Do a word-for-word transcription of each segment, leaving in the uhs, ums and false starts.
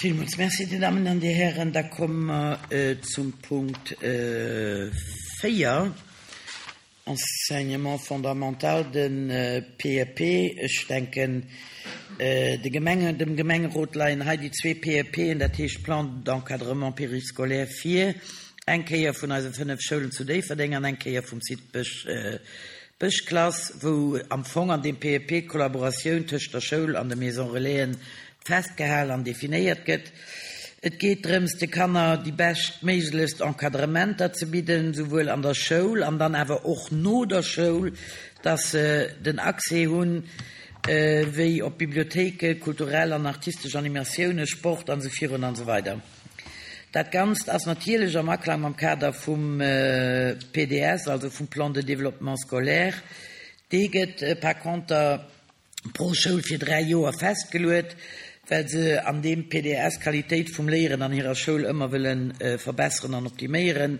Villmools Merci, Dir Dammen an Dir Hären. Da komme mer zum Punkt véier, Enseignement fondamental, de P E P. Ech denken, de Gemenge, dem Gemengerot leien hei déi zwee P E P'en, dat heescht Plan d'encadrement périscolaire vir, eng Kéier vun eise fënnef Schoulen zu Déifferdeng an eng Kéier vum Site Bësch, Bëschklass, wou am Fong an deem P E P d'Kollaboratioun tëscht der Schoul an de Maison Relaisen festgehal an definéiert gëtt. Et geet drëms, de Kanner déi beschtméiglechst Encadrementer ze bidden, souwuel an der Schoul an dann awer och no der Schoul, dass se den Accès hunn, wéi op Bibliothéike, kulturell an artistesch Animatiounen, Sport an esou virun an esou weider. Dat Ganzt ass natierlech am Aklang mam Kader vum P D S, also vum Plan de développement scolaire. Dee gëtt par conter pro Schoul fir dräi Joer festgeluet, well se an deem P D S d'Qualitéit vum Léieren an hirer Schoul ëmmer wëlle verbesseren an optiméieren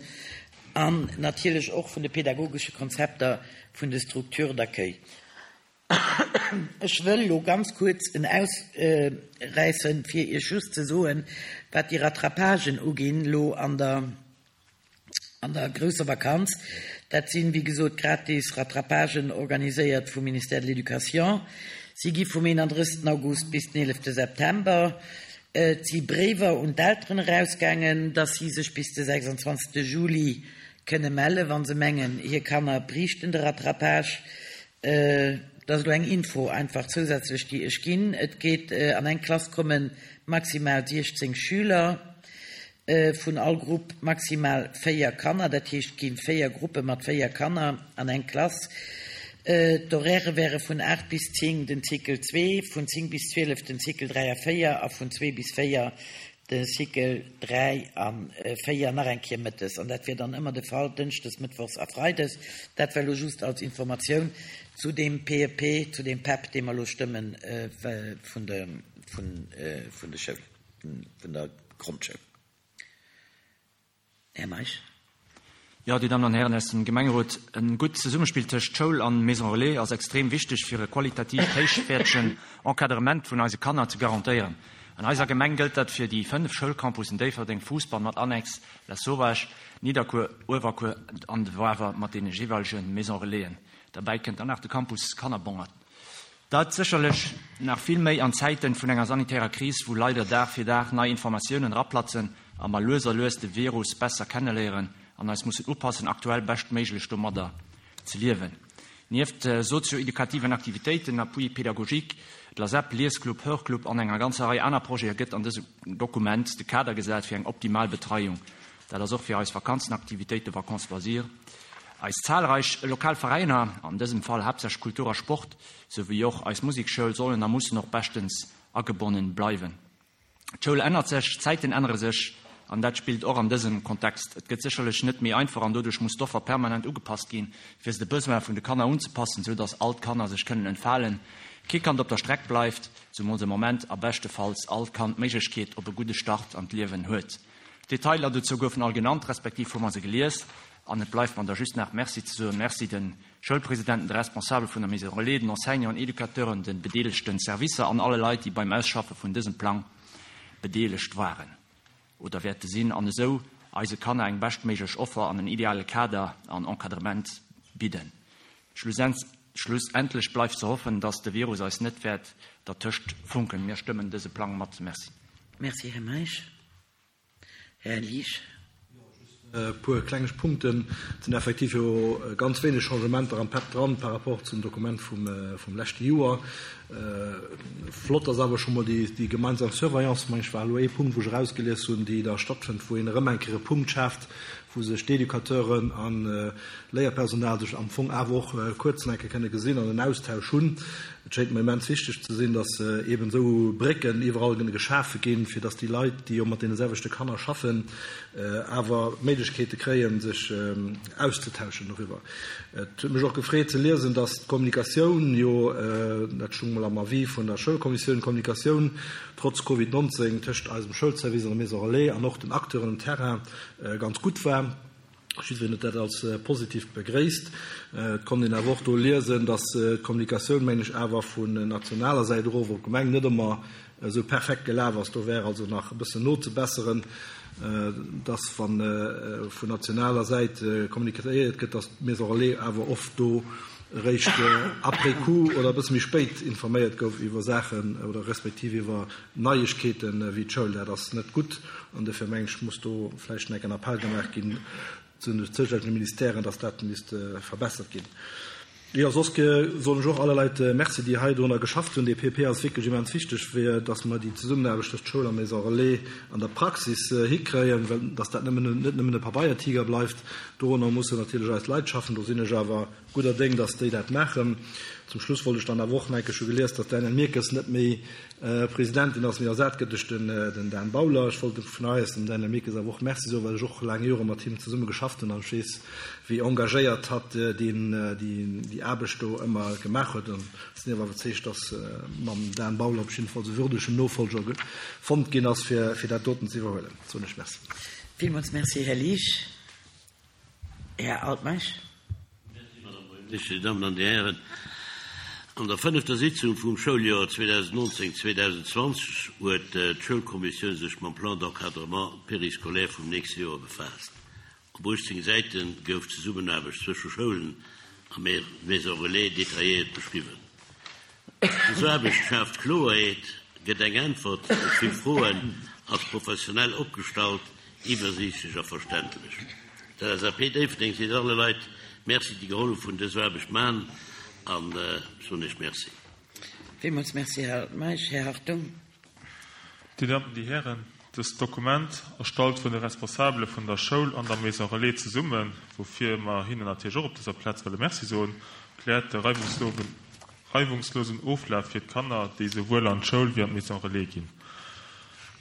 an natierlech och vun de pädagogesche Konzepter vun de Structures d'accueil. Ech wëll lo ganz kuerz en ausräissen, fir Iech just ze soen, wat déi Rattrapagen uginn lo an der an der grousser Vakanz. Dat sinn, wéi gesot, gratis Rattrapagen organiséiert vum Ministère de l'Éducation. Si gi vum eenandrëssegsten August bis den eelefte September. Et si Bréiwer un d'Elteren erausgaangen, dass si sech bis de sechsundzwanzegste Juli kënne mellen, wa se mengen, hir Kanner bräichten de Rattrapage. Dat ass elo eng Info einfach zousätzlech, déi ech ginn. Et geet an eng Klass komme maximal siechzéng Schüler, vun all Grupp maximal véier Kanner, dat heescht, et gi véier Gruppe mat véier Kanner an eng Klass. D'Horairë wäre vun aacht bis zéng den Cycle zwee, vun zéng bis zwielef den Cycle dräi a véier a vun zwee bis véier de Cycle dräi a véier nach eng Kéier mëttes. An dat wier dann ëmmer de Fall dënschdes, mëttwochs a freides. Dat war elo just als Informatioun zu deem P E P, zu deem P E P, dee mer elo stëmmen vun de, vun, vun de Schoul, vun der Grondschoul. Här Meisch. Jo, Dir Dammen an Hären aus dem Gemengerot, e gutt Zesummespill tëscht Schoul an Maison Relais ass extrem wichteg, fir e qualitativ héichwäertegen Encadrement vun eise Kanner ze garantéieren. An eiser Gemeng gëllt dat fir déi fënnef Schoulcampussen Déifferdeng, Fousbann mat Annex, Lasauvage, Nidderkuer, Uewerkuer an de Wawer mat deene jeeweilege Maison Relaisen. Derbäi kënnt dann nach de Campus Kannerbongert. Dat sécherlech nach vill méi an Zäiten vun enger sanitärer Kris, wou leider Dag fir Dag nei Informatiounen eraplatzen a mer lues a lues de Virus besser kenneléieren an eis mussen upassen, aktuell beschtméiglech domadder ze liewen. Nieft sozio-edukativen Aktivitéiten, Appui pédagogique, de LASEP, Liesclub, Hörclub an enger ganzer Rei aner Projete gëtt an dësem Dokument de Kader gesat fir eng optimal Betreiung. Dat ass och fir eis Vakanzenaktivitéiten, Vacances loisirs. Eis zahlreich lokal Veräiner, an dësem Fall haaptsächlech Kultur a Sport, souwéi och eis Musekschoul sollen a mussen och beschtens agebonnen bleiwen. D'Schoul ännert sech, d'Zäiten ännere sech an dat spillt och an dësem Kontext. Et gëtt sécherlech net méi einfach an doduerch muss d'Offer permanent ugepasst ginn, fir se de Besoin vun de Kanner unzepassen, sou dass all d'Kanner sech kënnen entfalen. Kee Kand op der Streck bleift, zemools am Moment, a beschtefalls all Kand d'Méiglechkeet op e gudde Start an d'Liewen huet. D'Detailer dozou goufen all genannt, respektiv hu mer se gelies an et bleift mer da just nach Merci ze soen. Merci de Schoulpresidenten, de Responsabele vun der Maison Relais, den Enseignanten, Educateuren, de bedeelegten Servicer an alle Leit, déi beim Ausschaffe vun dësem Plang bedeelegt waren oder wäerte sinn an esou eise Kanner eng beschtméiglech Offer an en ideale Kader an Encadrement bidden. Schlussendlech bleift ze hoffen, dass de Virus eis net wäert dertëscht funken. Mir stëmmen dëse Plang mat. Merci. Merci, Här Meisch. Här Liesch. E puer kleng Punkten. Et sinn effektiv jo ganz wéineg Changementer am P E P dran par rapport zum Dokument vum, vum leschte Joer. Flott ass awer scho mol déi, déi gemeinsam Surveillance, meng ech, war elo ee Punkt, wou ech erausgelies hunn, déi da stattfënnt, wou een erëm eng Kéier e Punkt schaaft, wou sech d'Educateuren an Léierpersonal sech am Fong awer och kuerz eng Kéier kënne gesinn an en Austausch hunn. Et schéngt mer immens wichteg ze sinn, dass eben esou Brécken iwwerall geschafe ginn, fir dass déi Leit, déi jo mat deene selwechte Kanner schaffen, awer Méiglechkeete kréien, sech auszetauschen doriwwer. Et huet mech och gefreet ze liesen, dass d'Kommunikatioun jo, dat stoung mol am Avis vun der Schoulkommissioun, d'Kommunikatioun trotz Covid neunzéng tëscht eisem Schoulservice an der Maison Relais an och den Acteuren um Terrain ganz gutt war. Jiddwereen huet dat als positiv begréisst. Et konnt een awer och do liesen, dass d'Kommunikatioun, meng ech, awer vun nationaler Säit erof op d'Gemeng net ëmmer esou perfekt gelaf ass. Do wär also nach e bëssen nozebesseren, dass wann vun nationaler Säit kommunikéiert gëtt, dass d'Maison Relais awer oft do eréischt après coup oder e bësse méi spéit informéiert gouf iwwer Saachen oder respektiv iwwer Neiegkeeten wéi d'Schoul. Dat ass net gutt an dofir mengen ech, muss do vläicht nach en Appell gemaach ginn zu den zoustännege Ministèren, dass dat misst verbessert ginn. Jo, soss soen ech och alle Leit Merci, déi hei dorunner geschafft hunn. Dee P E P ass wierklech immens wichteg, fir dass mer déi Zesummenaarbecht tëscht Schoul a Maison Relais an der Praxis hikréien, well dass dat nëmmen, net nëmmen e Pabeiertiger bleift. Dorunner mussen natierlech eis Leit schaffen. Do sinn ech awer gudder Déng, dass déi dat maachen. Zum Schluss wollt ech dann awer och nach eng Kéier, ech hu gelies, dass d'Danièle Mirkes net méi Presidentin ass, mee ersat gëtt duerch den Dan Bauler. Ech wollt vun hei aus dem Danièle Mirkes awer och Merci soen, well ech och laang Jore mat him zesumme geschafft hunn an ech weess, wéi engagéiert hatt déi Aarbecht do ëmmer gemaach huet. An ech sinn awer iwwerzeegt, dass mam Dan Bauler op jiddefalls e würdegen Nofolger fonnt ginn ass, fir dat doten ze iwwerhuelen. Soen ech Merci. Villmools Merci, Här Liesch. Här Altmeisch. Merci, Madame Buergermeeschtesch, Dir Dammen an Dir Hären. An der fënnefter Sitzung vum Schouljoer zweedausennnonzéng zweedausendzwanzeg huet d'Schoulkommissioun sech mam Plan d'encadrement périscolaire vum nächste Joer befaasst. Op uechtzéng Säite gouf d'Zesummenaarbecht zwësche Schoulen a Maison Relais detailléiert beschriwwen. Dës Aarbecht schaaft Kloerheet, gëtt eng Äntwert op vill Froen, ass professionell opgestallt, iwwersiichtlech a verständlech. D'L S A P Déifferdeng seet alle Leit Merci, déi gehollef hunn dës Aarbecht man, an soen ech Merci. Villmools Merci, Här Altmeisch. Här Hartung. Dir Dammen, Dir Hären, dëst Dokument, erstallt vun de Responsabele vun der Schoul an der Maison Relais zesummen, woufir mer hinnen natierlech och op dëser Plaz wëlle Merci soen, kläert de reiwungslosen Oflaf fir d'Kanner, déi souwuel an d'Schoul wéi an d'Maison Relais ginn.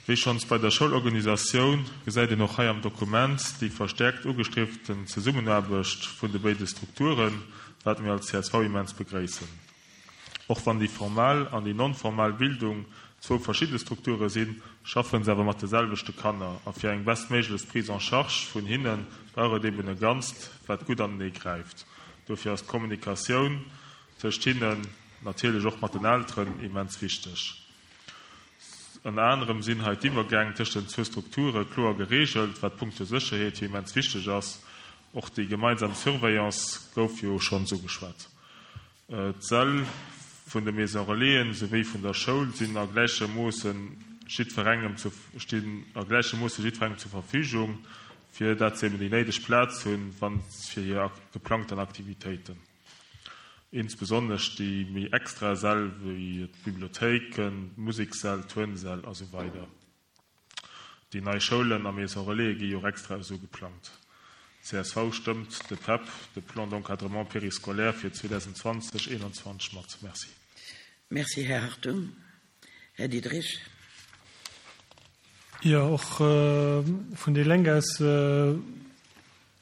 Wéi schonns bei der Schoulorganisatioun gesäit een och hei am Dokument déi verstäerkt ugestrieften Zesummenaarbecht vun de béide Strukturen, wat mir als C S V immens begréissen. Och wann déi formal an déi non-formal Bildung zwou verschidde Strukture sinn, schaffen se awer mat de selwechte Kanner a fir eng bestméiglechst Prise en charge vun hinne brauch et eben e Ganzt, wat gutt anenee gräift. Dofir ass d'Kommunikatioun tëscht hinnen, natierlech och mat den Elteren, immens wichteg. Ënner anerem sinn hei d'Iwwergäng tëscht den zwou Strukture kloer gereegelt, wat punkto Sécherheet jo immens wichteg ass. Och déi gemeinsam Surveillance gouf jo schonns ugeschwat. D'Säll vun de Maison Relaisen souwéi vun der Schoul sinn a gläichem Moosse jiddwerengem zu, stinn a gläichem Moosse jiddwerengem zur Verfügung, fir dat se eben déi néideg Plaz hunn, wann fir hir geplangten Aktivitéiten. Insbesonnesch déi méi extra Säll wéi d'Bibliothéiken, d'Musekssäll, d'Turnsäll a sou weider. Déi nei Schoulen a Maison Relais gi jo och extra esou geplangt. C S V stëmmt de P E P, de Plan d'encadrement périscolaire fir zweedausendzwanzeg eenanzwanzeg mat. Merci. Merci, Här Hartung. Här Diderich. Jo, och vun déi Lénk aus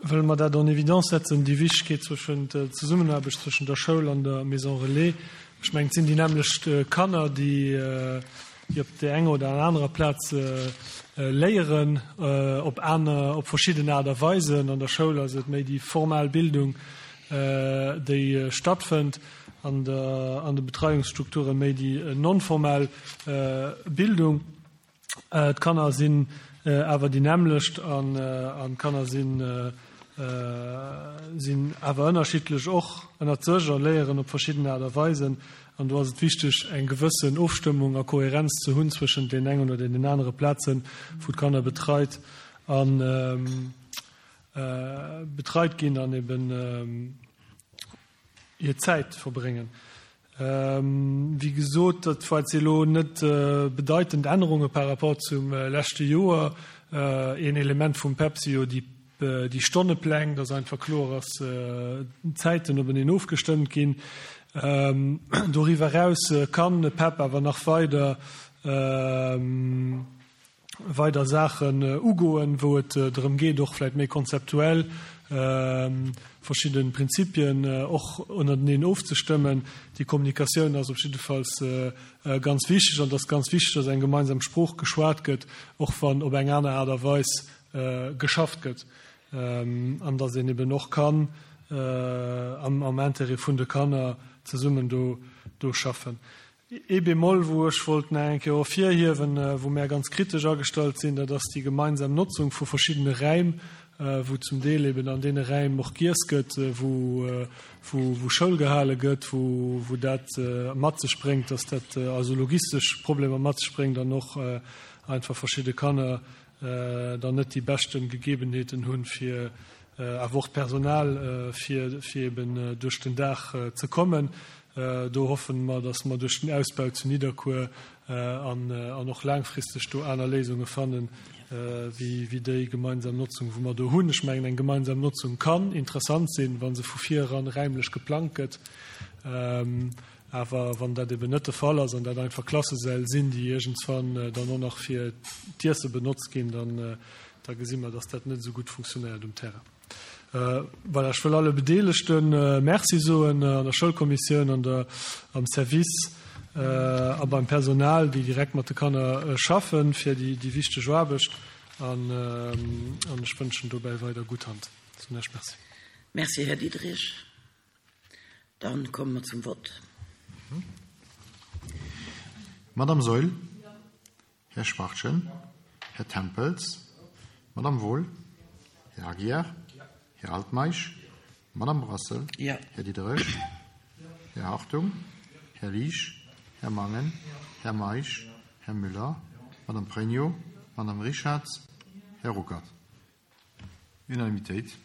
wëlle mer dat en évidence setzen, déi Wichtegkeet zwëschen der Zesummenaarbecht zwëschen der Schoul an der Maison Relais. Ech mengen, et sinn déi nämmlecht Kanner, déi déi op där enger oder anerer Plaz léieren, op aner, op verschidden Aart a Weisen. An der Schoul ass et méi déi formal Bildung, déi stattfënnt, an der, an de Betreiungsstrukture méi déi non-formal Bildung. D'Kanner sinn awer déi nämmlecht an d'Kanner sinn sinn awer ënnerschiddlech och ënnert sech a léieren op verschidden Aart a Weisen. An do ass et wichteg, eng gewëssen Ofstëmmung a Kohärenz ze hunn zwëschent den engen oder den anere Plazen, wou d'Kanner betreit an betreit ginn an eben hir Zäit verbréngen. Wéi gesot, dat war jetzt elo net bedeitend Ännerunge par rapport zum leschte Joer. Een Element vum P E P si jo déi, déi Stonnepläng, dass einfach kloer ass, d'Zäiten openeen ofgestëmmt ginn. Doriwwer eraus kann de P E P awer nach weider, weider Saachen ugoen, wou et drëm geet, och vläicht méi konzeptuell verschidde Prinzipien och ënnerteneen ofzestëmmen. Déi Kommunikatioun ass op jiddefalls ganz wichteg an et ass ganz wichteg, dass eng gemeinsam Sprooch geschwat gëtt, och wann op eng aner Aart a Weis geschafft gëtt, an dass een eben och kann am, am Intérêt vun de Kanner zesummen do, do schaffen. Ee Bémol, wou ech wollt nach eng Kéier ervirhiewen, wou mär ganz kritesch agestallt sinn, dat ass déi gemeinsam Notzung vu verschiddene Räim, wou zum Deel eben an deene Räim och giess gëtt, wou, wou, wou Schoul gehale gëtt, wou, wou dat mat sech bréngt, dass dat also logistesch Problemer mat sech bréngt an och einfach verschidde Kanner dann net déi beschte Gegebenheeten hunn, fir awer och d'Personal, fir, fir eben duerch den Dag ze kommen. Do hoffen mer, dass mer duerch den Ausbau zu Nidderkuer an an och laangfristeg do aner Léisunge fannen, wéi wéi déi gemeinsam Notzung, wou mer do hunn. Ech mengen, eng gemeinsam Notzung kann interessant sinn, wa se vu vir eran räimlech geplangt gëtt. Awer wann dat eben net de Fall ass an dat einfach Klassesäll sinn, déi iergendswann dann och nach fir d'Iesse benotzt ginn, dann da gesi mer, dass dat net esou gutt funktionéiert um Terrain. Voilà, ech wëll alle Bedeelegte Merci soen, an der Schoulkommissioun, an der, am Service a beim Personal, déi direkt mat de Kanner schaffen, fir déi, déi wichteg Aarbecht. An, an ech wënschen dobäi weider gutt Hand. Soen lech Merci. Merci, Här Diderich. Dann komme mer zum Vott. Madame Saeul? Här Schwachtgen? Här Tempels? Madame Wohl? Här Aguiar? Här Altmeisch? Madame Brassel? Ja. Här Diderich? Här Hartung? Här Liesch? Här Mangen? Här Meisch? Här Müller? Madame Pregno? Madame Richarz? Här Ruckert? Unanimitéit.